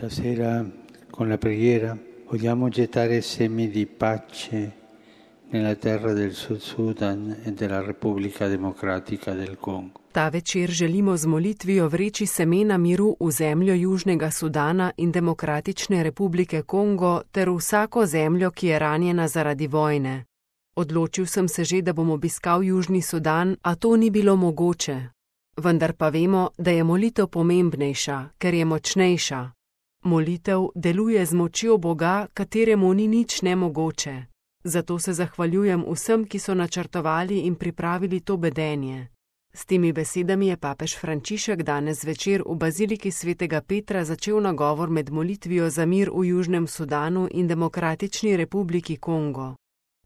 Stasera con la preghiera vogliamo gettare semi di pace nella terra del Sud Sudan e della Repubblica Democratica del Congo. Ta večer želimo z molitvijo vreči semena miru v zemljo Južnega Sudana in Demokratične republike Kongo ter v vsako zemljo, ki je ranjena zaradi vojne. Odločil sem se že, da bom obiskal Južni Sudan, a to ni bilo mogoče. Vendar pa vemo, da je molitev pomembnejša, ker je močnejša. Molitev deluje z močjo Boga, kateremu ni nič nemogoče. Zato se zahvaljujem vsem, ki so načrtovali in pripravili to bedenje. S temi besedami je papež Frančišek danes zvečer v baziliki svetega Petra začel nagovor med molitvijo za mir v Južnem Sudanu in Demokratični republiki Kongo.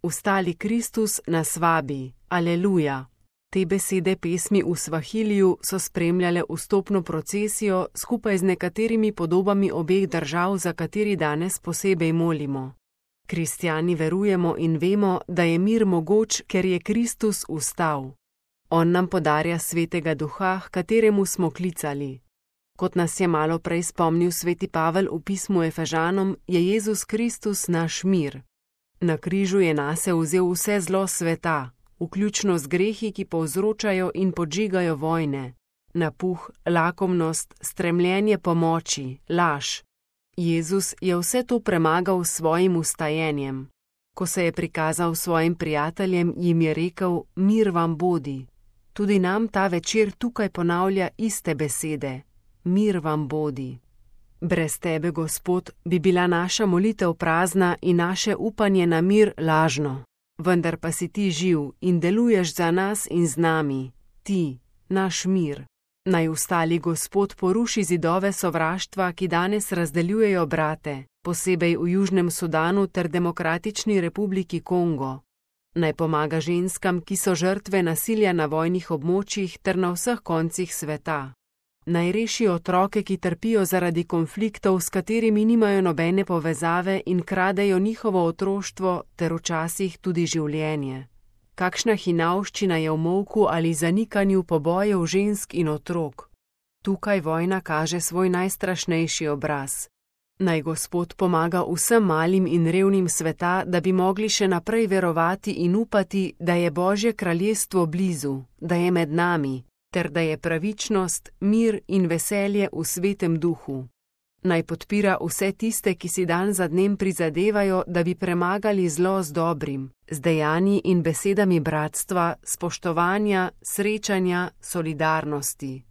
Vstali Kristus nas vabi, aleluja. Te besede pesmi v Svahiliju so spremljale vstopno procesijo skupaj z nekaterimi podobami obeh držav, za kateri danes posebej molimo. Kristjani verujemo in vemo, da je mir mogoč, ker je Kristus vstal. On nam podarja svetega duha, h kateremu smo klicali. Kot nas je malo prej spomnil sveti Pavel v pismu Efežanom, je Jezus Kristus naš mir. Na križu je nase vzel vse zlo sveta, vključno z grehi, ki povzročajo in podžigajo vojne, napuh, lakomnost, stremljenje po moči, laž. Jezus je vse to premagal s svojim vstajenjem. Ko se je prikazal svojim prijateljem, jim je rekel, mir vam bodi. Tudi nam ta večer tukaj ponavlja iste besede, mir vam bodi. Brez tebe, Gospod, bi bila naša molitev prazna in naše upanje na mir lažno. Vendar pa si ti živ in deluješ za nas in z nami, ti, naš mir. Naj vstali Gospod poruši zidove sovraštva, ki danes razdeljujejo brate, posebej v Južnem Sudanu ter Demokratični republiki Kongo. Naj pomaga ženskam, ki so žrtve nasilja na vojnih območjih ter na vseh koncih sveta. Naj reši otroke, ki trpijo zaradi konfliktov, s katerimi nimajo nobene povezave in kradejo njihovo otroštvo ter včasih tudi življenje. Kakšna hinavščina je v molku ali zanikanju pobojev žensk in otrok. Tukaj vojna kaže svoj najstrašnejši obraz. Naj Gospod pomaga vsem malim in revnim sveta, da bi mogli še naprej verovati in upati, da je Božje kraljestvo blizu, da je med nami, ter da je pravičnost, mir in veselje v svetem duhu. Naj podpira vse tiste, ki si dan za dnem prizadevajo, da bi premagali zlo z dobrim, z dejanji in besedami bratstva, spoštovanja, srečanja, solidarnosti.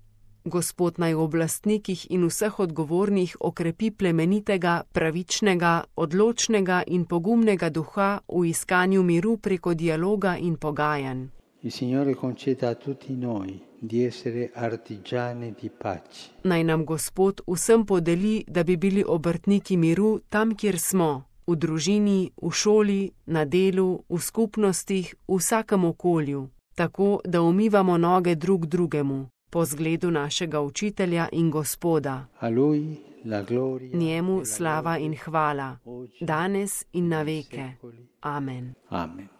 Gospod naj v oblastnikih in vseh odgovornih okrepi plemenitega, pravičnega, odločnega in pogumnega duha v iskanju miru preko dialoga in pogajanj. Il Signore conceda a tutti noi di essere artigiani di pace. Naj nam Gospod vsem podeli, da bi bili obrtniki miru tam, kjer smo, v družini, v šoli, na delu, v skupnostih, v vsakem okolju, tako da umivamo noge drug drugemu, po zgledu našega učitelja in Gospoda. A lui la gloria, njemu slava in hvala, danes in na veke. Amen. Amen.